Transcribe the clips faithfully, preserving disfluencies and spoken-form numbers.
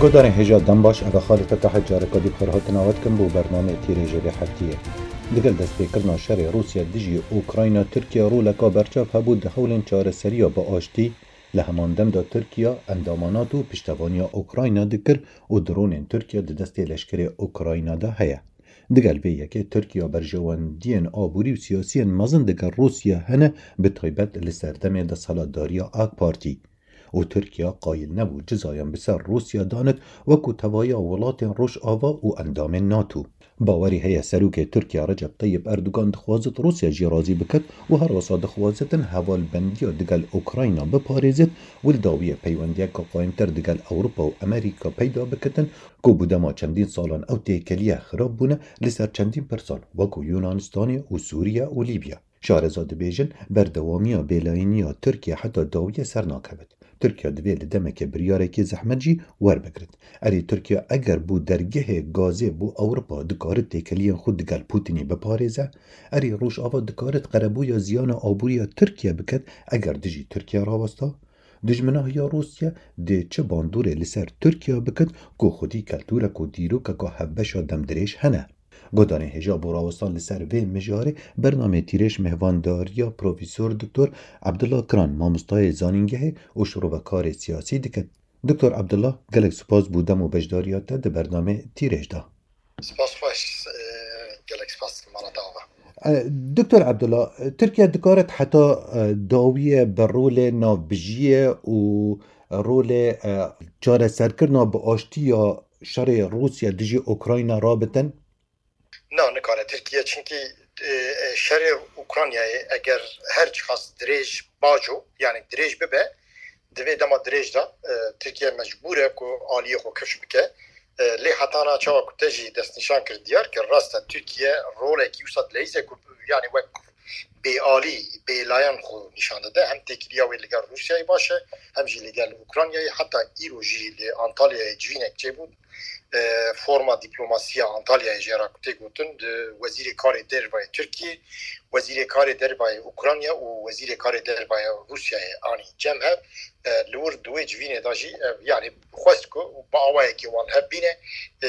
Guhdarên hêja dem baş, ev e Xalid Fetah, careka dî bi xêr hatina we dikim bo bernameyê Tîrêjê vê heftiyê. Digel destpêkirina şerê Rûsya dijî Ukrayna, Tirkiye roleka berçav hebû di hewlên çareseriya bi aştî. Li heman dem de Tirkiye endama NATO piştevaniya Ukrayna dikir û dronên Tirkiye di destê leşkerê Ukrayna de heye. Digel vê yekê Tirkiye berjewendiyên aborî û siyasiyên mezin digel Rûsya hene, bi taybet li serdemê desthilatdariya AK Partî. Û Tirkiye qayîl nebû cizayan bi ser Rûsya danit wekû tevahiya welatên Rojava û endamên NATO. Bawerî heye serokê Tirkiye Recep Tayyip Erdogan dixwazit Rûsya jî razî biket û her wisa dixwazitin hevalbendiya digel Ukrayna biparêzit û li dawiyê peywendiyeke qayîmtir digel Ewropa û Amerîka peyda bikitin ku bi dema çendîn salan ew têkeliye xirab bûne li ser çendîn pirsan wekû Yunanistanê û Sûriye û Lîbya. Şareza dibêjin, berdewamiya bêlayîniya Tirkiye heta dawiyê ser nakevit. Tirkiye divê li demeke biryarekî zehmet jî werbigrit. Erê Tirkiye eger bû dergehê gazê bo Ewropa dikarit têkeliyên xwe digel Putinî biparêze, erê Rojava dikarit qerebûya ziyana aboriya Tirkiye biket eger dijî Tirkiye rawesta? Dijminahiya Rûsya dê çi bandorê li ser Tirkiye bikit ku xwedî keltûrek û dîrokeka hevbeşa demdirêj hene? Guhdarên hêja bo rawestan li ser vê mijarê bernameyê Tîrêj mêhvandariya Profesor Doktor Abdullah Kiran, mamostayê zanîngehê û şirovekarê siyasî dike. Doktor Abdullah, gelek spas bo dem û beşdariya te di bernameyê Tîrêj de. Spas xweş, e, gelek spas mala te ava. E, Doktor Abdullah, Tirkiye dikaret heta, e, dawiyê bi rolê navbijiyê û rolê, e, çareserkirina bi aştî ya şerê Rûsya dijî Ukrayna rabitin? Na, nikare Tirkiye, çimkî, e, e, şerê Ukraynayê eger her çiqas dirêj baco, yani dirêj bibe, di vê dema dirêj de, e, Tirkiye mecbûr e ku aliyê xwe kifş bike. E, lê hetana çawa ku te jî destnîşan kir, diyar kir, rast e, Tirkiye rolekî wisa dileyîze ku, yani wek bêalî, bêlayan xwe nîşan dide. Hem têkiliya wê li gel Rûsyayê baş e, hem jî li gel Ukraynayê. Heta îro jî li Antalyayê civînek çêbû. E, forma diplomasiya Antalyayê jê re ku tê gotin, di Wezîrê Karê Dervayê Tirkiyê, Wezîrê Karê Dervayê Ukrayna û Wezîrê Karê Dervayê Rûsyayê anî cem hev. E, li wir di wê civînê de jî, e, yani xwest ku bi awayekî wan hev bîne, e,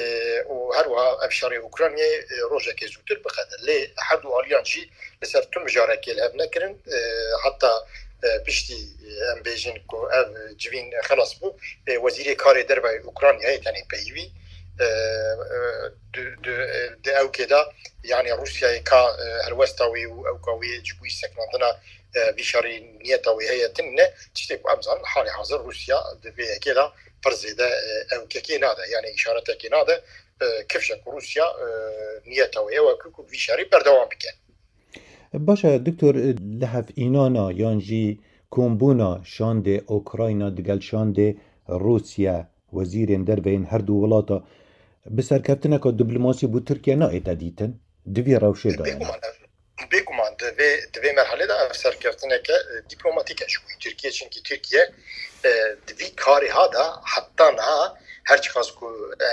û her wiha ev şerê Ukraynayê, e, rojekê zûtir biqede. Lê her du aliyan jî li ser tu mijarekê li hev nekirin. E, heta, e, piştî, e, em bêjin ku ev civîn xelas bû, e, Wezîrê Karê Derve Ukraynayê tenê peyivî, e, e, di, di, e, di ewkê de, yani Rûsyayê ka, e, helwesta wê û ewka wê ji bo sekinandina, e, vî şerî niyeta wê heye tune, tiştê ku em zanin halê hazir Rûsya di vê yekê de pir zêde, e, ewkekê nade, yani îşaretekê nade, e, kifşe ku Rûsya, e, niyeta wê ew e ku, ku vî şerî berdewam bike. Baş e, Doktor, li hevînana yan jî kombûna şandê Ukrayna digel şandê Rûsya, wezîrên derve yên her du welata bi serkeftineka diplomasî bo Tirkiye nayête dîtin? Di vî rewşê de ye ne? Bêguman, bêguman di vê, di vê merhalê de ev serkeftineke, e, diplomatîk e ji bo Tirkiye, çimkî Tirkiye, e, di vî karê ha de heta niha her çiqas ku, e,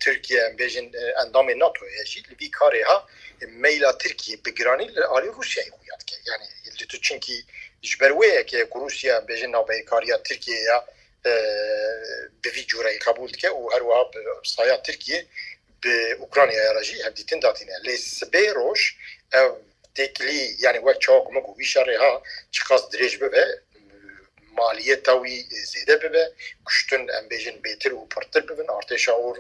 Tirkiye, em bêjin, e, endamê NATOyê ye jî, li vî karê ha, e, meyla Tirkiye bi giranî li alî Rûsyayê xuya dike. Yani li tu çimkî ji ber wê yekê ku Rûsya, em bêjin, navbeyîkariya Tirkiyeyê ya, e, bi vî cûreyî qebûl dike û her wiha bi saya Tirkiye bi Ukraynayê re jî hevdîtin datîne. Lê sibê roj ev têkilî, yani wek çawa ku min got, vî şerê ha çiqas dirêj bibe, maliyeta wî zêde bibe, kuştin, em bêjin, bêtir û pirtir bibin, artêşa or,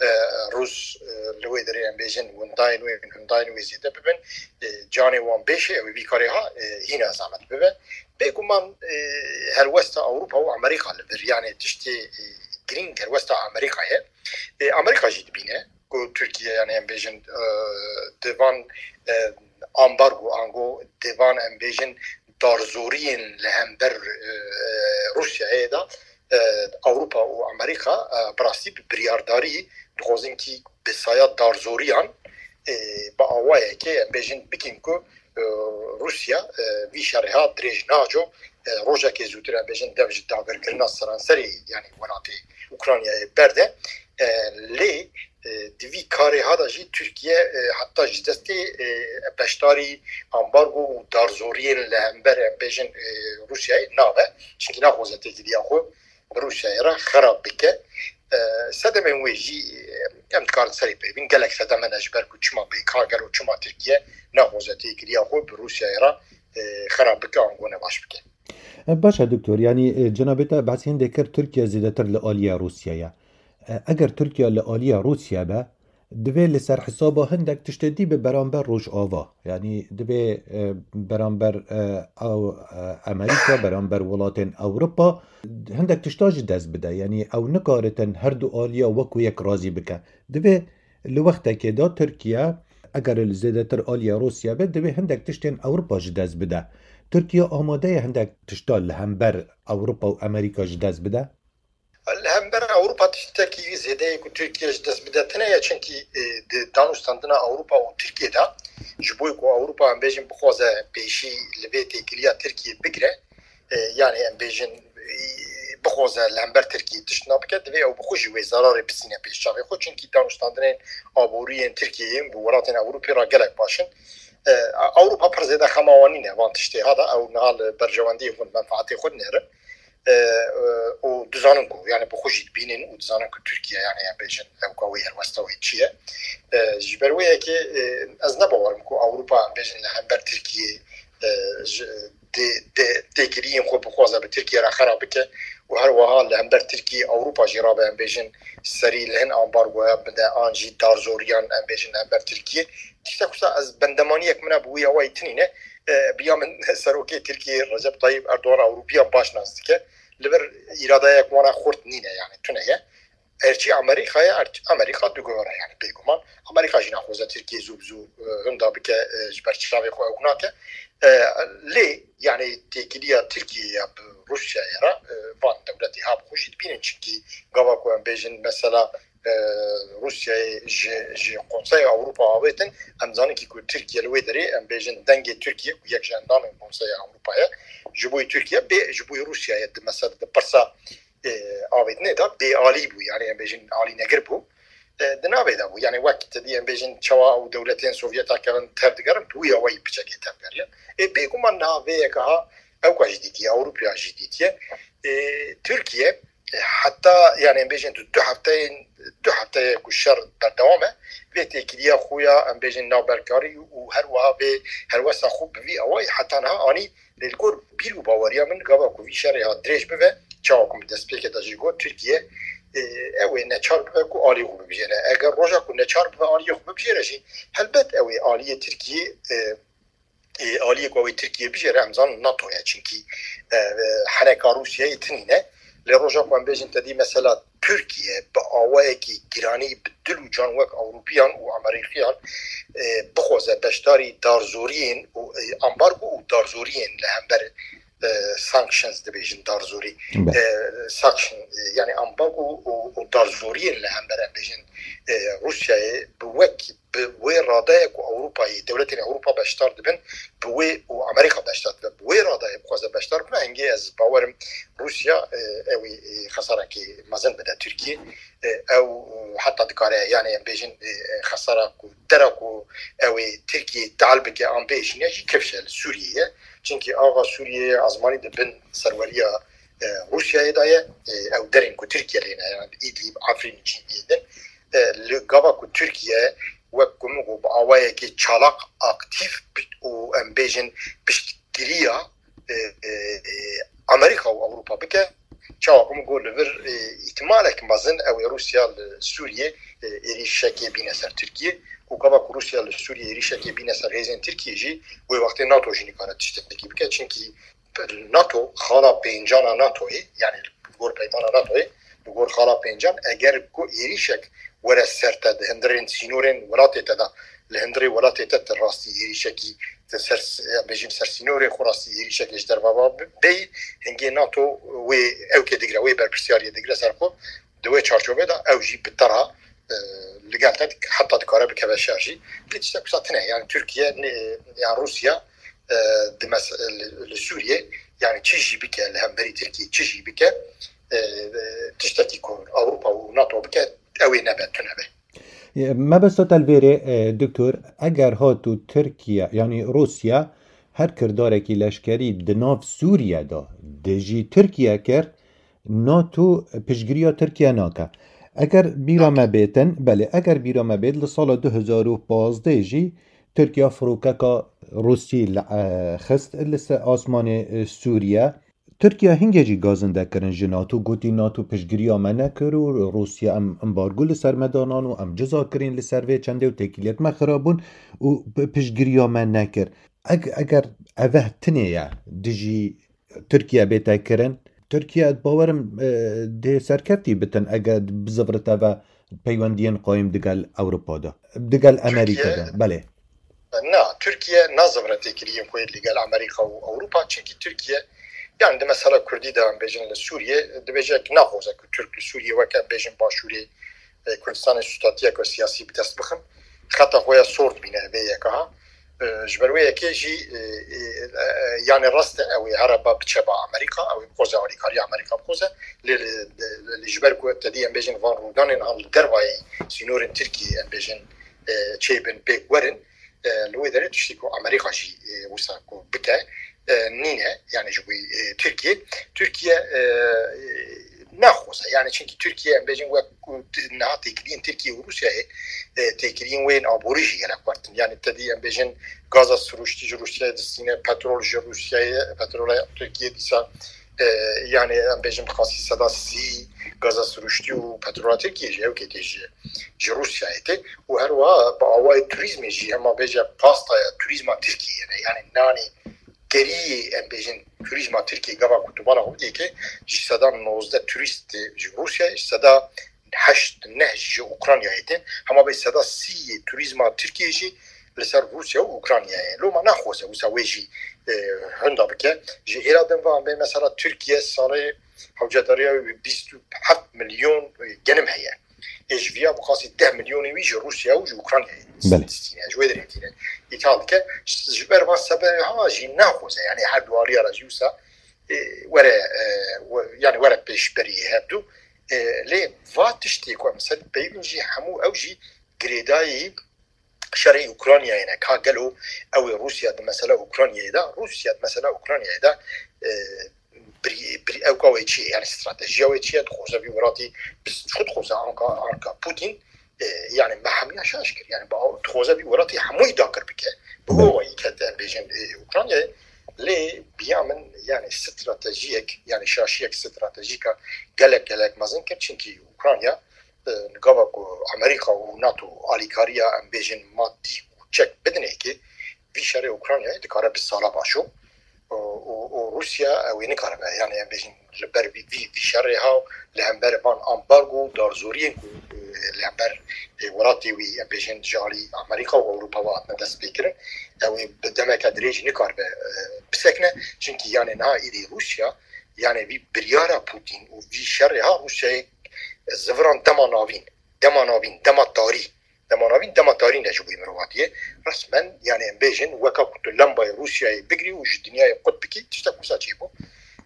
e, Rûs, e, li wê derê, em bêjin, windayên wê, hundayên wê zêde bibin, e, canê wan bêşe, ew ê vî karê ha, e, hîna zehmet bibe. Bêguman, e, helwesta Ewropa û Amerîka li vir, yani tiştê, e, girîng helwesta Amerîka ye. E, Amerîka jî dibîne ku Tirkiye, yani em bêjin, e, di van, e, ambargo, ango di van, em bêjin, darzoriyên li hember, e, Rûsyayê de, e, Ewropa û Amerîka, e, bi rastî bi biryardarî dixwazin kî bi saya darzoriyan, e, bi awayekê, em bêjin, bikin ku, e, Rûsya, e, vî şerê ha dirêj naco, e, rojekê zûtir, em bêjin, dev ji dagirkirina seranserê, yani welatê Ukraynayê berde. E, lê, e, di vî karê ha de jî Tirkiye, e, heta ji destê, e, beşdarî ambargo û darzoriyên li hember, em bêjin, e, Rûsyayê nabe. Çimkî naxwaze têkiliya xwe bi Rûsyayê re xerab bike. E, sedemên wê jî, e, em dikarin serê pê bin. Gelek sedem hene ji ber ku çima bê ka gelo çima Tirkiye naxwaze têkiliya xwe bi Rûsyayê re, e, xerab bike, ango nebaş bike. E, baş e, doktor. Yanî, e, cenabê te behsî hindê kir, Tirkiye zêdetir li aliya Rûsya ye. E, eger Tirkiye li aliya Rûsya be, divê li ser hesaba hindek tiştê dî bi beramber Rojava. Yanî divê, e, beramber, e, ew, e, Amerîka, beramber welatên Ewropa hindek tişta ji dest bide. Yanî ew nikaritin her du aliya wekû yek razî bike. Divê li wextekê de Tirkiye, eger li zêdetir aliya Rûsya be, divê hindek tiştên Ewropa ji dest bide. Tirkiye amade ye hindek tişta li hember Ewropa û Amerîka ji dest bide? Li hember Ewropa tiştekî zêde ye ku Tirkiye ji dest bide tune ye, çimkî, e, di danûstandina Ewropa û Tirkiye de, ji bo ku Ewropa, em bêjin, bixwaze pêşî li vê têkiliya Tirkiye bigire, e, yanî em bêjin, e, bixwaze li hember Tirkiye tişt nabike, divê ew bi xwe jî wê zararê bistîne pêş çavê xwe, çimkî danûstandinên aborî yên Tirkiyeyê bi welatên Ewropê re gelek baş in. E, Ewropa pir zêde xema wan nîne van tiştê ha de, ew niha li berjewendiyê xwe, menfaetê xwe dinêrin. E, e, û dizanin ku, yani, bi xwe jî dibînin û dizanin ku Tirkiye, yani, em bêjin, ew ka wê helwesta wê çi ye. E, ji ber wê yekê, e, ez ne bawerim ku Ewropa, em bêjin, li hember Tirkiye, e, ji, dê, dê, têkiliyên xwe bixwaze bi Tirkiye re xera bike û her wiha li hember Tirkiye Ewropa jî rabe, em bêjin, serî li hin ambargoya bide an jî darzoriyan, em bêjin, li hember Tirkiye. Tiştek wisa ez bendemaniyek min e bi wî awayî tinîne. E, biya min serokê Tirkiyê Recep Tayyip Erdogan Ewropiyan baş nas dike. Li vir îradeyek wana xurt nîne, yani tune ye. Erçî Amerîka ye, erçî Amerîka diguhere, yani bêguman. Amerîka jî naxwaze Tirkiye zû bi zû, e, hinda bike, e, ji ber çavê xwe ew nake. E, lê yani têkiliya Tirkiyeyê ya bi Rûsyayê re, e, van dewletê ha bi xwe jî dibînin. Çimkî gava ku em bêjin mesela, e, Rûsyayê ji, ji Konseya Ewropa avêtin, em zanin kî ku Tirkiye li wê derê, em bêjin, dengê Tirkiye ku yek ji endamên Konseya Ewropa ye, ji bo Tirkiye bê, ji bo Rûsyayê di mesela di pirsa, e, avêtinê de bêalî bû, yani em bêjin alînegir bû. E, di navê de bû. Yani wek te dî em bêjin çawa ew dewletên Sovyeta kevin tev digerin, bi wî awayî piçekê tev geriye. E, bêguman niha vê yeke ha Ewropa jî dîtiye, Ewropa jî dîtiye. E, Tirkiye, e, heta, yani em bêjin du, du hefteyên, du hefteye ku şer berdewam e, vê têkiliya xwe ya, em bêjin, navberkarî û her wiha vê helwesta xwe bi vî awayî heta niha anî. Lê li gor bîr û baweriya min, gava ku vî şerê hat dirêj bibe, çawa ku min destpêkê de jî got, Tirkiye, e, ew ê neçar bibe ku alî xwe bibijêre. Eger roja ku neçar bibe aliyê xwe bibijêre jî, helbet ew ê aliyê Tirkiye, e, e, aliyê ku ew ê Tirkiye bijêre, em zanin NATO ye. Çimkî, e, e, heneka Rûsyayê tinîne. Lê roja ku em bêjin te dî mesela Tirkiye bi awayekî giranî bi dil û can wek Ewropiyan û Amerîkiyan, e, bixwaze beşdarî darzoriyên û, e, ambargo û darzoriyên li hember, e, sanctions dibêjin darzorî. Be. E, sanction, e, yani ambargo û, û darzoriyên li hember em bêjin, e, Rûsyayê bi wek bi wê radeye ku Ewropayê, dewletên Ewropa beşdar dibin, bi wê û Amerîka beşdar dibe, bi wê radeye bixwaze beşdar bibin, hingê ez bawerim Rûsya, e, ew ê, e, xesarekê mezin bide Tirkiye. E, ew, e, heta dikare, yani em bêjin, e, e, xesara ku dera ku ew ê Tirkiye tal bike an bêjîne jî kifş e li Sûriyê ye. Çimkî axa Sûriyeyê azmanî di bin serweriya, e, Rûsyayê de ye. E, ew derên ku Tirkiye lê ne, yani Îdlîb, Efrîn, Cînî din. E, li gava ku Tirkiye wek ku min got bi awayekî çalak, aktîf bi-, û em bêjin piştgiriya, e, e, e, Amerîka û Ewropa bike, çawa ku min got li vir, e, îhtimalek mezin ew ê Rûsya li Sûriyê, e, êrîşekê bîne ser Tirkiye û gava ku Rûsya li Sûriyê êrîşekê bîne ser hêzên Tirkiye jî wê wextê NATO jî nikare tiştekî bike, çimkî NATO, xala pêncan a NATOyê, yani li gor peymana NATOyê, li gor xala pêncan, eger ku êrîşek were ser te di hundirên sînorên welatê te de, li hundirê welatê te tu rastî êrîşekî, tu ser, bêjin ser sînorê xwe rastî êrîşekê ji derve ve bêyî, hingê NATO wê ewkê digire, wê berpirsiyariyê digire ser xwe. Di wê çarçovê de ew jî bi te re, e, li gel te dik-, heta dikare bikeve şer jî. Lê tiştek wisa tune. Yani Tirkiye, ne, yani Rûsya, e, di mes-, li, li Sûriyê, yani çi jî bike, li hemberî Tirkiyê çi jî bike, e, e, tiştekî ku Ewropa û NATO bike, ew ê nebe, tune be. E, mebesta te li vêrê, e, doktor, eger hatu Tirkiye, yani Rûsya, her kirdarekî leşkerî di nav Sûriye de dijî Tirkiye kir, NATO piştgiriya Tirkiye nake. Eger bîra me bêtin, belê, eger bîra me bêt, li sala du hezar û pazdeh jî Tirkiye firokeka Rûsî li, e, xist li ser asmanê, e, Sûriye. Tirkiye hingê jî gazinde kirin ji NATO, gotî NATO piştgiriya me nekir û Rûsya em embargo li ser me danan û em ciza kirîn li ser vê çendê û têkiliyet me xirab bûn û pi-, piştgiriya me nekir. Eg-, eger eve tinê ye dijî Tirkiye bête kirin, Tirkiye bawerim, e, dê serkeftî bitin eger bizivirite ve peywendiyên qayîm digel Ewropa de, digel Amerîka de. Belê. Na, Tirkiye nazivire têkiliyên xwe li gel Amerîka û Ewropa, çimkî Tirkiye, yani di mesela Kurdî de em bêjin li Sûriye, dibêje ki naxwaze ku Tirk li Sûriye weke em bêjin Başûrê, e, Kurdistanê stûtatiyeke siyasî bi dest bixin. Xeta xwe ya sor dibîne vê yeka ha. E, ji ber wê yekê jî, e, e, e, yani rast e, ew ê here ba biçe ba Amerîka, ew ê bixwaze alîkariya Amerîka bixwaze. Lê li, li, li, ji ber ku te dî em bêjin van rûdanên an li dervayî sînorên Tirkiyê em bêjin, e, çêbin pêk werin, e, li wê derê tiştî ku Amerîka jî, e, wisa ku bike, e, nîne, yani ji bo, e, Tirkiye. Tirkiye, e, e, naxwaze, yani çimkî Tirkiye em bêjin wek ku t-, niha têkiliyên Tirkiye û Rûsyayê, e, têkiliyên wê yên aborî jî gelek xurt in. Yani te dî em bêjin gaza sirûştî ji Rûsyayê distîne, petrol ji Rûsyayê, petrola Tirkiye dîsa, e, yani em bêjin bi qasî seda sî gaza sirûştî û petrola Tirkiye jî ew kê tê ji, ji Rûsyayê tê û her wiha bi awayê turîzmê jî hema bêje pastaya turîzma Tirkiyê ne. Yani nanê geriyê em bêjin turîzma Tirkiyê gava ku tu bala xwe bidî ke ji seda nozdeh turîst tê ji Rûsyayê, ji seda heşt neh jî ji Ukraynayê tê. Hema bê seda sî yê turîzma Tirkiyê jî li ser Rûsya û Ukraynayê. Loma naxwaze wisa wê jî, e, hunda bike. Ji hêla din ve em bê mesela Tirkiye salê hewcedariya wî bîst û heft milyon, e, genim heye. Ê ji viya bi qasî deh milyonê wî ji Rûsya û ji Ukraynayê Belê. distîne. Ji wê derê tîne. Îthal dike. Ji ber van sebebê ha jî naxwaze. Yani her du aliya re jî wisa, e, were, e, we-, yani were pêşberî hevdu. E, lê va tiştê ku em ser peyvin jî hemû ew jî girêdayî şerê Ukraynayê ne. Ka gelo ew ê Rûsya di mesela Ukraynayê de, Rûsya di mesela Ukraynayê de, e, birî-, birî-, ewka wê çi ye? Yani stratejiya wê çi ye? Dixwaze vî welatî bis-, çi dixwaze anka, anka Putin, e, yani me hemiya şaş kir. Yani ba-, dixwaze vî welatî hemûyî dakir bike. Bi Belê. awayî ket em bêjin, e, Ukraynayê. Lê biya min yani stratejiyek, yani şaşiyek stratejîka gelek gelek mezin kir. Çimkî Ukrayna, e, gava ku Amerîka û NATO alîkariya em bêjin madî û çek bidinê ki vî şerê Ukraynayê dikare bi sala başo. Û, û, û Rûsya ew ê nikaribe, yani em bêjin li ber vî, vî, vî şerê ha li hember van ambargo û darzoriyên ku, e, li hember, e, welatê wî em bêjin ji alî Amerîka û Ewropa ve hatine destpêkirin, ew ê bi demeke dirêj nikaribe, e, bisekine. Çimkî yani niha êdî Rûsya, yani vî biryara Putin û vî şerê ha Rûsyayê ziviran dema navîn, dema navîn, dema tarî, dema navîn, dema tarî ne ji bo mirovatiyê. Resmen, yani em bêjin, weka ku tu lembayê Rûsyayê bigirî û ji dinyayê qut bikî, tiştek wisa çêbû.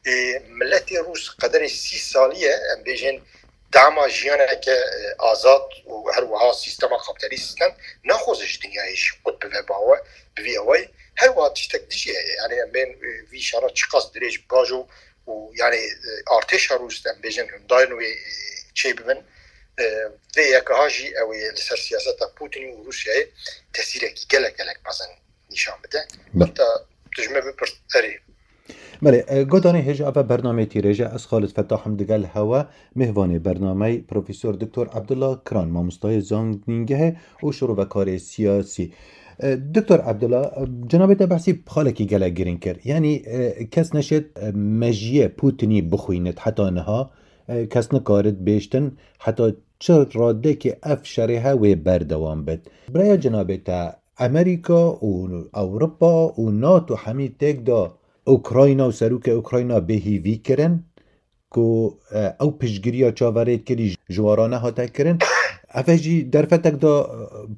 Ê, miletê Rûs qederê sî salî ye, em bêjin, dema jiyaneke, e, azad û her wiha sîstema kapîtalîst stand naxwaze ji dinyayê jî qut bibe bawe, bi vî awayî. Her wiha tiştek dijî heye. Yani em bên, e, vî şera çiqas dirêj bajo û yani, e, artêşa Rûs, em bêjin, hindayên wê, e, çê bibin. E, vê yeka ha jî ew ê li ser siyaseta Putinî û Rûsyayê tesîrekî gelek gelek mezin nîşan bide. Belê. Heta tu ji me bipirs, erê. Belê, e, godanê hêja eve bernameyê tîrêje, ez Xalid Fetah im digel hewe, mêvanê bernameyê Profesor Doktor Abdullah Kiran, mamostayê zanîngehê û şirovekarê siyasî. E, Doktor Abdullah, e, cenabê te behsî xalekî gelek girîng kir. Yanî, e, kes neşêt, e, mejiyê Putinî bixwînit heta niha, e, kes nikarit bêştin heta çi radekê ev şerê he wê berdewam bit. Biraya cenabê te, Amerîka û Ewropa û NATO hemî têk da Ukrayna û serokê Ukrayna bêhîvî kirin ku, e, ew piştgiriya çaverêt kirî ji wara nehate kirin. Ev e jî derfetek da, e,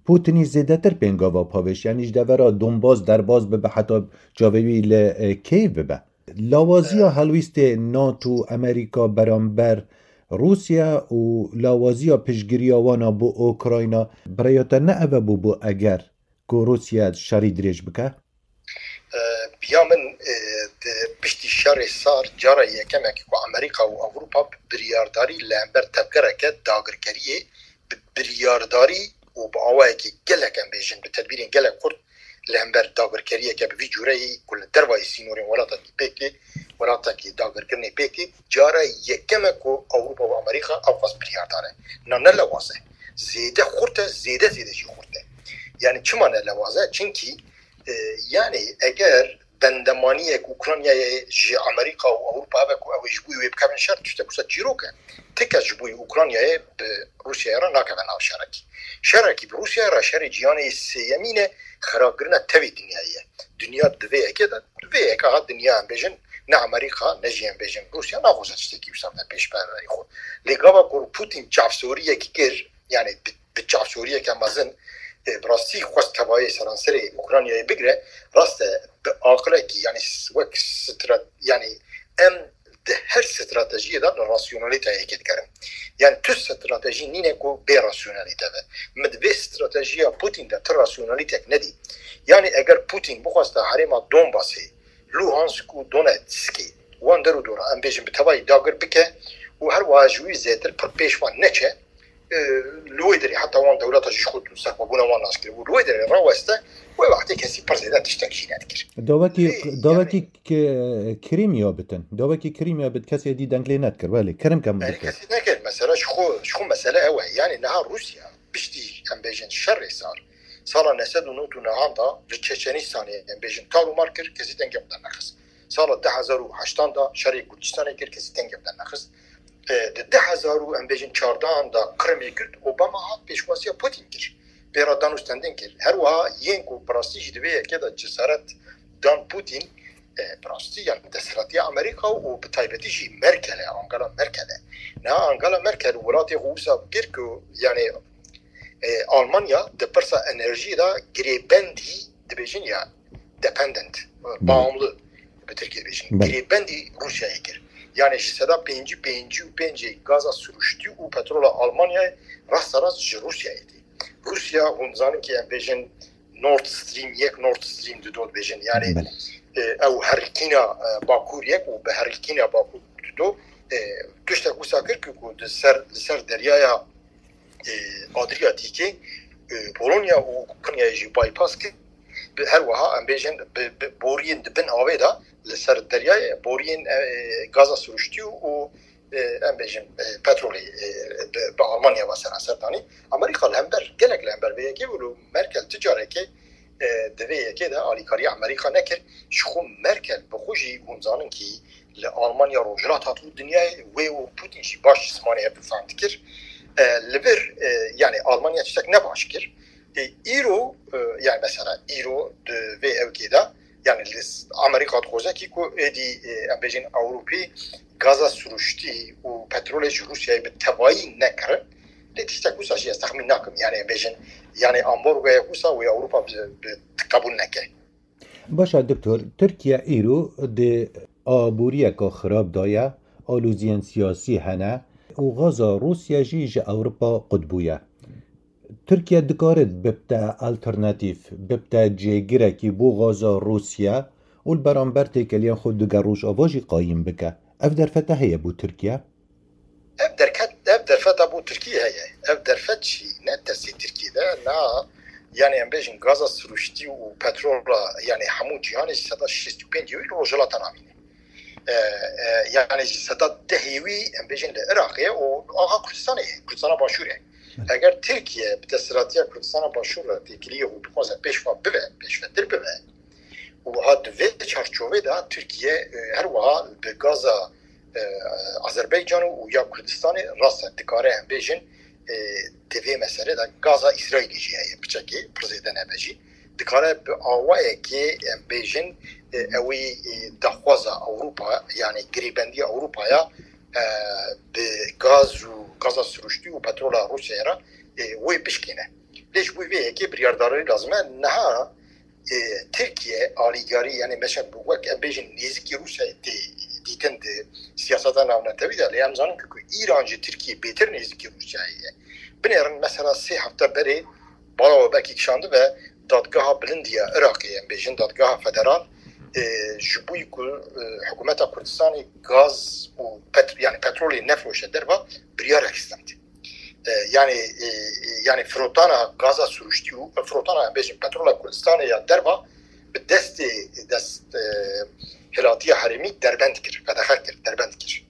Putinî zêdetir pêngava pavêş, yanî ji devera Donbas derbas bibe heta çavê wî li, e, Kyiv bibe. Lawaziya helwîstê NATO, Amerîka beramber Rûsya û lawaziya piştgiriya wana bo Ukrayna, bi rêya te ne ev e bûbû eger ku Rûsya şerî dirêj bike? E, biya min, e, di piştî şerê sar cara yekem e ku Amerîka û Ewropa bi biryardarî li hember tevgereke dagirkeriyê, bi biryardarî û bi awayekî gelek, em bêjin, bi tedbîrên gelek xurt li hember dagirkeriyeke bi vî cûreyî ku li dervayî sînorên welatekî pêk tê, welatekî dagirkirinê pêk tê, cara yekem e ku Ewropa û Amerîka ew qas biryardar e. Na ne lewaz e. Zêde xurt e, zêde zêde jî xurt e. Yani çima ne lewaz e? Çimkî, e, yani eger bendemaniyek Ukraynayê ji Amerîka û Ewropa hebe ku ew ê ji bo wê bikevin şer, tiştek wisa çîrok e. Ti kes ji bo Ukraynayê bi Rûsyayê re nakeve nav şerekî. Şerekî bi Rûsyayê re şerê cîhanê sêyemîn e, xirabkirina tevî dinyayê ye. Dinya di vê yekê de, di vê yeka ha dinya em bêjin, ne Amerîka, ne jî em bêjin Rûsya naxwaze tiştekî wisa bide pêş perverî xwe. Lê gava ku Putin çavsoriyek kir, yani bi, bi çavsoriyeke mezin, e, bi rastî xwest tevayê seranserê Ukraynayê bigire, rast e, bi aqilekî, yani s-, wek strat-, yani em di her stratejiyê de li rasyonalîteyekê dikerin. Yani tu stratejî nîne ku bê rasyonalîte be. Min di vê stratejiya Putin de tu rasyonalîtek nedî. Yani eger Putin bixwesta herêma Donbasê, Luhansk û Donetskê, wan der û dora, em bêjin, bi tevayî dagir bike û her wiha ji wî zêtir pir pêş wan neçe, e, li wê derê heta wan dewleta jî ji xwe serxwebûna wan nas kir û li wê derê raweste, wê wextê kesî pir zêde tiştek jî nedikir. Dawekî, Vê, dawekî yani, K-, Krîmya bitin. Dawekî Krîmya bit, kesê dî deng lê nedikir. Belê, Krîmka min Yani dikir. Kesî nekir. Mesela ji xwe, ji xwe mesele ew e. Yani niha Rûsya piştî, em bêjin, şerê sar, sala neh sed û nod û nehan da li Çeçenistanê, em bêjin, tar û mar kir, kesî dengê xwe dernexist. Sala du hezar û heştan da şerê Kurdistanê kir, kesî dengê xwe dernexist. E, di du hezar û, em bêjin, çardehan da Qrimê girt, Obama hat pêşwaziya Putin kir. Pê re dan û stendin kir. Her wiha yên ku bi rastî jî di vê yekê de cesaret dan Putin, e, bi rastî, yani desthilatiya Amerîka û bi taybetî jî Merkel e, Angela Merkel e. Niha Angela Merkel welatê xwe wisa kir ku, yani, e, Almanya di pirsa enerjiyê de girêbendî dibêjin ya dependent, Belê. Bağımlı bi Tirkî dibêjin. Belê. Girêbendî Rûsyayê kir. Yani ji seda pêncî, pêncî û pêncê gaza siruştî û petrola Almanyayê rasterast ji Rûsyayê tê. Rûsya, hûn dizanin ki em bêjin Nord Stream yek, Nord Stream du dot bêjin. Yani, Belê. E, ew herikîna, e, Bakur yek û bi herikîna Bakur du dot, e, tiştek wisa kir ki ku di ser, li ser deryaya, e, Adriyatîkê, e, Polonya û Ukraynayê jî bypass kir. Bi, her wiha em bêjin bi, bi boriyên di bin avê de li ser deryayê boriyên, e, gaza siruştî û, e, em bêjin, e, petrolê, e, bi, bi Almanya ve seranser danî. Amerîka li hember, gelek li hember vê yekê û li Merkel ti carekê, e, di vê yekê de alîkariya Amerîka nekir. Ji xwe Merkel bi xwe jî hûn zanin kî li Almanya rojhilat hat û dinyayê wê û Putin jî baş ji zimanê hev difam dikir. E, li vir, e, yani Almanya tiştek ne baş kir. E, îro, e, yani mesela îro di vê ewkê de, yani li s-, Amerîka dixwaze kî ku êdî, e, em bêjin Ewropî gaza siruştî û petrolê ji Rûsyayê bi tevayî nekirin. Lê tiştek wisa jî ez texmîn nakim. Yani em bêjin, yani ambargoyek wisa wê Ewropa bi, bi qebûl neke. Baş e, Doktor, Tirkiye îro di aboriyeke xirab de ye, aloziyên siyasî hene û gaza Rûsya jî ji Ewropa qut bûye. Tirkiye dikare bibte alternatîf, bibte cêgirekî bo gaza Rûsya û li beramber têkiliyên xwe digel Rojava jî qayîm bike. Ev derfete heye bo Tirkiye? Ev derket, ev derfeta bo Tirkiyê heye. Ev derfet jî ne tersê Tirkiyê de, na, yani em bêjin gaza siruştî û petrola, yani hemû cîhanê ji seda şêst û pêncê wî li Rojhilata Navîn e. E, e, yani ji seda dehê wî em bêjin li Iraqê û axa Kurdistanê ye, Kurdistana Başûr e. Eger Tirkiye bi desthilatiya Kurdistana Başûr re têkiliyê û bixwaze pêşva bibe, pêşvetir bibe, û ha di vê çarçovê de Tirkiye, e, her wiha bi gaza, e, Azerbaycan û ya Kurdistanê rast e, dikare em bêjin, e, di vê meselê de gaza Îsraîlê jî heye, piçekê pir zêde nebe jî. Dikare bi awayekê em bêjin, e, ew ê, e, daxwaza Ewropa, yani girêbendiya Ewropaya, e, bi gaz û gaza siruştî û petrola Rûsyayê re, e, wê bişkêne. Lê ji bo vê yekê biryardarî lazim e. Niha, e, Tirkiye alîgarî, yani meşe wek em bêjin nêzikî Rûsyayê tê dîtin di siyaseta navnetewî de, lê em zanin ku, ku Îran ji Tirkiyê bêtir nêzikî Rûsyayê ye. Binêrin mesela sê hefte berê bala we belkî kişandibe dadgeha bilind ya Iraqê, em bêjin dadgeha federal, e, ji bo ku, e, hikûmeta Kurdistanê gaz û pet-, yani petrolê nefiroşe derva, biryarek stend. E, yani, e, e, yani firotana gaza sirûştî û firotana, em bêjin, petrola Kurdistanê ya derva bi destê dest, e, hilatiya herêmî derbend kir, qedexe kir, derbend kir.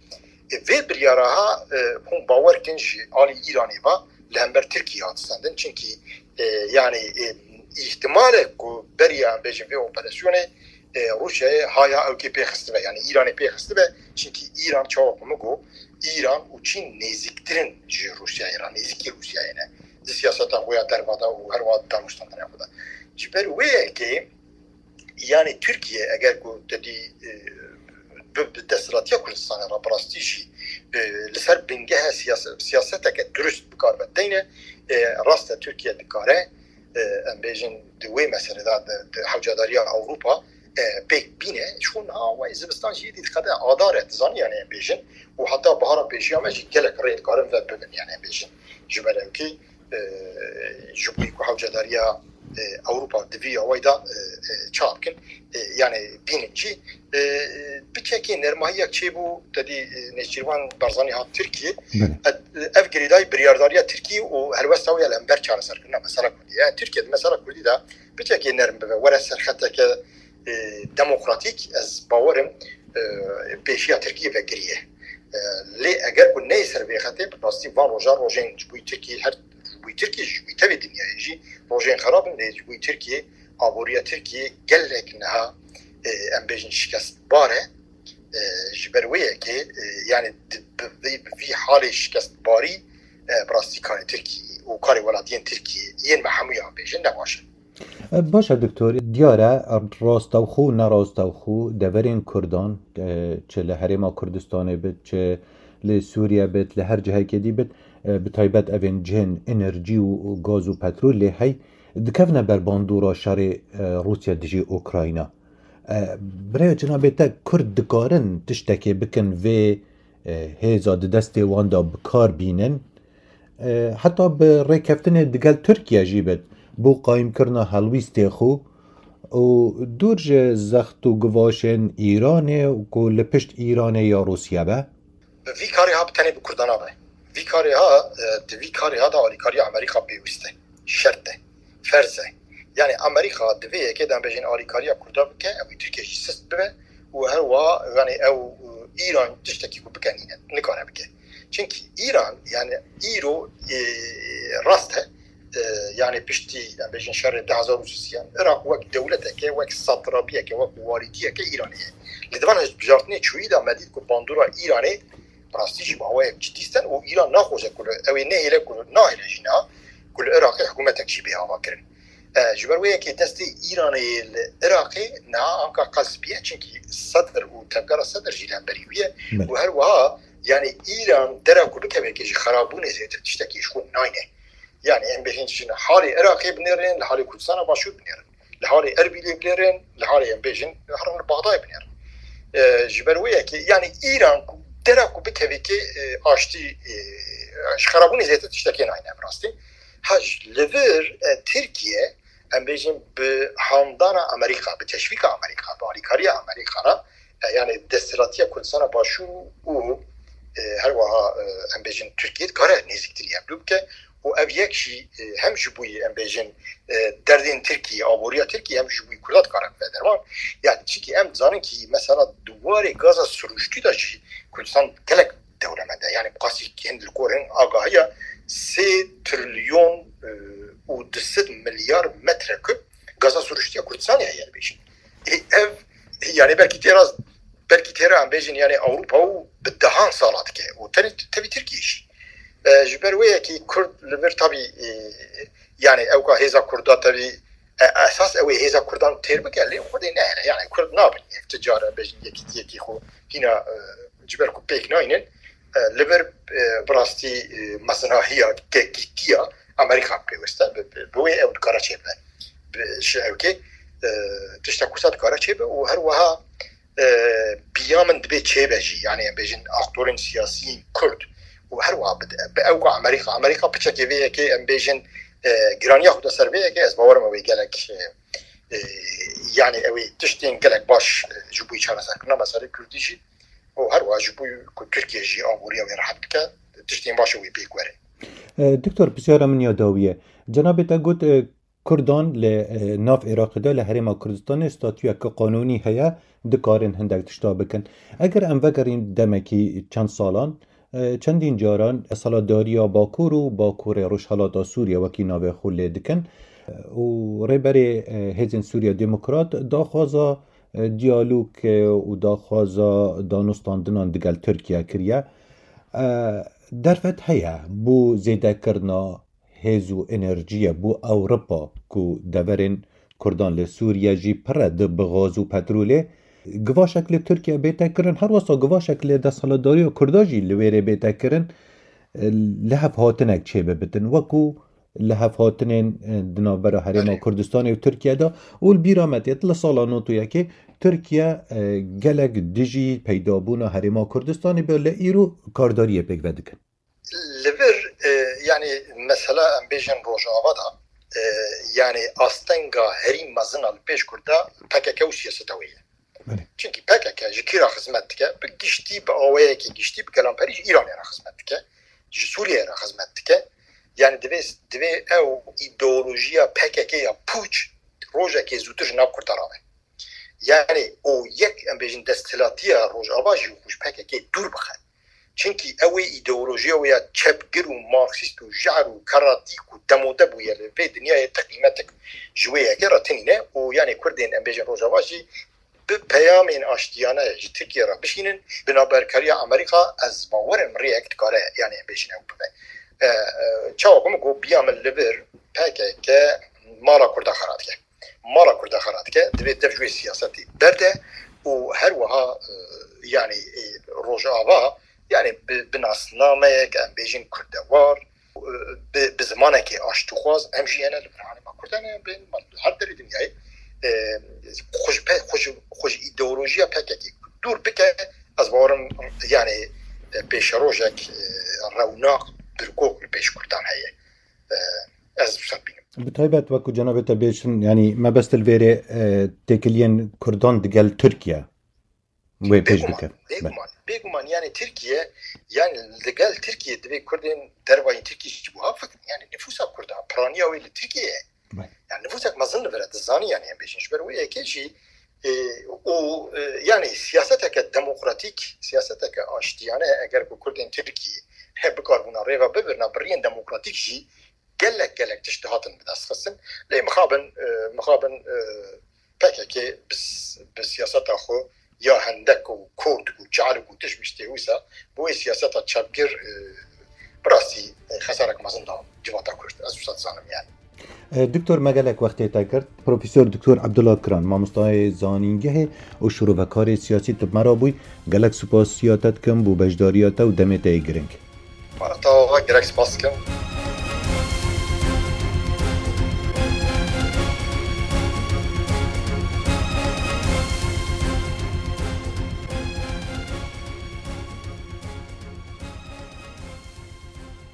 E, vê biryara ha, e, hûn bawer kin ji alî Îranê ve li hember Tirkiyê hat stendin. Çimkî, e, yani, e, îhtimalek ku beriya, em bêjin, vê operasyonê, e, Rûsyayê haya ewkê pê xistibe, yani Îranê pê xistibe. Çimkî Îran, çawa ku min got, Îran û Çîn nêzîktir in ji Rûsyayê re, nêzîkî Rûsyayê ne. Di siyaseta xwe ya derva de û herwiha di danûstandina xwe de. Ji ber wê yekê, yani Tirkiye eger ku te dî, e, bi, bi desthilatiya Kurdistanê re bi rastî jî, e, li ser bingeha siyase-, siyaseteke dirust bikaribe deyne, e, rast e Tirkiye dikare, e, em bêjin di wê meselê de di, di hewcadariya Ewropa, e, pêk bîne. Ji xwe niha wê zivistan jî dî diqede adar e, dizanî yani em bêjin. Û heta bahara pêşiya me jî gelek rê dikarin ve bibin yani em bêjin. Ji ber ew kî, e, ji bo ku hewcedariya, e, Ewropa di vî awayî de, e, e, çap kin, e, yani bînin jî, e, e, biçekê nermahiyek çêbû, te dî, e, Nêçîrvan Barzanî hat Tirkiyê. Belê. E, ev girêdayî biryardariya Tirkiyê û helwesta wê ya li hember çareserkirina mesela Kurdî. Yani Tirkiye di mesela Kurdî de biçekê nerm bibe, were serxeteke, e, demokratîk, ez bawerim, e, pêşiya Tirkiyê vekiriye. E, lê eger ku neyê ser vê xetê, bi rastî van roja rojên ji bo Tirkiyê, her ji bo Tirkiyê, ji bo tevê dinyayê jî rojên xerab in, lê ji bo Tirkiyê, aboriya Tirkiyê gelek niha, e, em bêjin şikestbar e. E, ji ber wê yekê, e, yani di, bi, bi, bi vî halê şikestbarî, e, bi rastî karê Tirkiyê û karê welatiyên Tirkiyê yên me hemûyan bêjin ne baş e. E, baş e, doktor. Diyar e, rastewxo û nerastewxo deverên Kurdan, e, çi li Herêma Kurdistanê bit, çi li Sûriye bit, li her cihekê dî bit, e, bi taybet evên cihên enerjî û gaz û petrolê hey dikevine ber bandora şerê, e, Rûsya dijî Ukrayna. E, birêve cenabê te, Kurd dikarin tiştekê bikin vê, e, hêza di destê wan de bi kar bînin? E, heta bi rêkeftinê digel Tirkiye jî bit, bo qayîmkirina helwîstê xwe û dûr ji zext û givaşên Îranê ku li pişt Îranê ya Rûsya be? Bi vî karê ha bi tenê bi Kurdan nabe. Vî karê ha, e, di vî karê ha de alîkariya Amerîka pêwîst e, şert e, ferz e. Yani Amerîka di vê yekê de em bêjin alîkariya Kurda bike, ew ê Tirkiye jî sist bibe û herwiha yani ew, e, Îran tiştekî ku bike nîne, nikare bike. Çimkî Îran yani îro, e, rast e, e, yani piştî, em bêjin, şerê du hezar û sisiyan, Iraq wek dewleteke, wek satrapiyeke, wek walîtiyeke Îranê ye. Li divan hilbijartinê çûyî de me dît ku bandora Îranê rastî jî bi awayek cidî sten û Îran naxwaze ku li, ew ê nehêle ku li, nahêle jî niha ku li Iraqê hikûmetek jî bê avakirin. E, ji ber wê yekê destê Îranê li Iraqê niha anka qels bûye, çimkî Sedr û tevgera Sedr jî li hemberî wî ye. Belê. Û her wiha, yani Îran dera ku bikeve yekê ji xerabûnê zêdetir tiştekî ji xwe nayne. Yani em bêjin ji halê Iraqê binêrin, li halê Kurdistana Başûr binêrin. Li halê Erbîlê binêrin, li halê em bêjin herin li Baxdayê binêrin. E, ji ber wê yekê, yani Îran ku dera ku bikeve yekê, e, aştî, e, ji xerabûnê zêdetir tiştekê nayne bi rastî. Ha, ji li vir, e, Tirkiye, em bêjin bi handana Amerîka, bi teşvîka Amerîka, bi alîkariya Amerîka re, e, yani desthilatiya Kurdistana Başûr û, e, her wiha, e, em bêjin Tirkiye dikare nêzîktirî hevdû bike û ev yek jî, e, hem ji bo, em bêjin, e, derdên Tirkiyê, aboriya Tirkiyê, hem ji bo Kurda dikare bibe derman. Yani çimkî em dizanin kî mesela di warê gaza sirûştî de jî Kurdistan gelek dewlemend e. Yani bi qasî hîn li gor hin agahiya sê trilyon, e, û du sed milyar metrekub gaza sirûştiya Kurdistanê heye dibêjin. Ê, ev, yani belkî têra, belkî têra em bêjin yani Ewropa û bi dehan sala dike. Û tenê tevî Tirkiye jî. E, ji ber wê yekî Kurd li vir tabî, e, yani ewka hêza Kurda tevî, e, esas ew ê hêza Kurdan têr bike, lê Xwedê nehêle. Yani Kurd nabin yek ti cara bêjin yekîtiyekî xwe hîna, e, ji ber ku pêk naynin, e, li vir, e, bi rastî, e, mezinahiya kekîtiya Amerîka pêwist e, bi, bi, bi wê ew dikare çêbibe. Bi, ji ewkê, e, tişta Kurda dikare çêbe û her wiha, e, biya min dibê çêbe jî. Yani em bêjin aktorên siyasiyên Kurd û her wiha bi, bi ewka Amerîka. Amerîka piçekê vê yekê em bêjin, e, giraniya xwe da ser vê yekê, ez bawerim ew ê gelek, e, E, yani ew ê tiştên gelek baş, e, ji bo çareserkirina meselê Kurdî jî û her wiha ji bo ku Tirkiye jî aboriya wê rehet bike, tiştên baş wê pêk werin. E, Doktor, pisyara min ya dawî ye. Cenabê te got, e, Kurdan li, e, nav Iraqê de li Herêma Kurdistanê statuyeke qanûnî heye, dikarin hindek tişta bikin. Eger em vegerîn demekî çend salan, e, çendîn caran desthilatdariya Bakur û Bakurê Rojhelata Sûriye wekî navê xwe lê dikin, e, û rêberê, e, Hêzên Sûriye Demokrat daxwaza, e, diyalog, e, û daxwaza danûstandinan digel Tirkiye kiriye. E, derfet heye bo zêdekirina hêz û enerjiyê bo Ewropa ku deverên Kurdan li Sûriye jî pir e di bi gaz û petrolê. Givaşek li Tirkiye bête kirin, her wesa givaşek li desthilatdariya Kurda jî li wê rê bête kirin, e, lihevhatinek çêbibitin, wekû lihevhatinên, e, di navbera Herêma Belê. Kurdistanê û Tirkiye de. Û li bîra me tê, li sala nod û yekê Tirkiye, e, gelek dijî peydabûna Herêma Kurdistanê be, li îro kardariyê pêk vedikin. Li vir, e, yani mesela em bêjin Rojava da, e, yani astenga herî mezin a li pêş Kurda P K K û siyaseta wê ye. Belê. Çimkî P K K ji kî re xizmet dike? Bi giştî, bi awayekî giştî, bi gelamperî ji Îranê re xizmet dike. Ji Sûriyeyê re xizmet dike. Yani divê, divê ew îdeolojiya P K K ya pûç rojekê zûtir ji nav Kurda rabe. Yani û yek, em bêjin, desthilatiya Rojava jî xwe ji P K K dûr bixe. Çimkî ew ê îdeolojiya wê ya çepgir û marksîst û jehr û keratîk û demode bûye li vê dinyayê ti qîmetik ji wê yekê re tinîne û yani Kurdên, em bêjin, Rojava jî bi peyamên aştiyane ji Tirkiye re bişînin, bi navberkariya Amerîka ez bawer im rêyek dikare, yani em bêjin, ew bibe. E, e, çawa ku min got, biya min li vir P K K mala Kurda xera dike. Mala Kurda xera dike, divê dev ji wê siyasetê berde û her wiha, e, yani, e, Rojava, yani bi, bi nasnameyek, em bêjin, kurdewar, e, bi, bi zimanekê aştîxwaz, em jî hene li vir Herêma Kurdan e, bên her derê dinyayê, e, xwe ji pe-, xwe ji, xwe ji îdeolojiya P K K dûr bike, ez bawerim, yani, e, pêşerojek, e, rewnak, birkok li pêş Kurdan heye. E, ez wisa dibînim. Bi taybet wekû cenabê te bêjin, yanî mebest li vêrê, e, têkiliyên Kurdan digel Tirkiye wê pêş Bêguman, dike. Bêguman, bêguman, yani Tirkiye, yani digel Tirkiye divê Kurdên dervayî Tirkiye ji wiha fikirin. Yani nifûsa Kurda, piraniya wê li Tirkiye ye. Belê. Yani nifûsek mezin li vir e, dizanî, yani em bêjin. Ji ber wê yekê jî, e, û, e, yani siyaseteke demokratîk, siyaseteke aştiyane, eger ku Kurdên Tirkî he bikaribûna rêva bibirina bi riyên demokratîk jî, gelek gelek tişt dihatin bi dest xistin. Lê mixabin, e, mixabin, e, P K K bi s-, bi siyaseta xwe ya hendek û kurdk û çarik û tişt miştê wisa, bi wê siyaseta çepgir, e, bi rastî, e, xesarek mezin da civata Kurd. Ez wisa dizanim yani. E, Doktor, me gelek wextê te girt. Profesor Doktor Abdullah Kiran, mamostayê zanîngehê û şirovekarê siyasî, tu bi me re bûy. Gelek supasiya te dikim bo beşdariya te û demê te yê giring. Wata gerek spas dikim.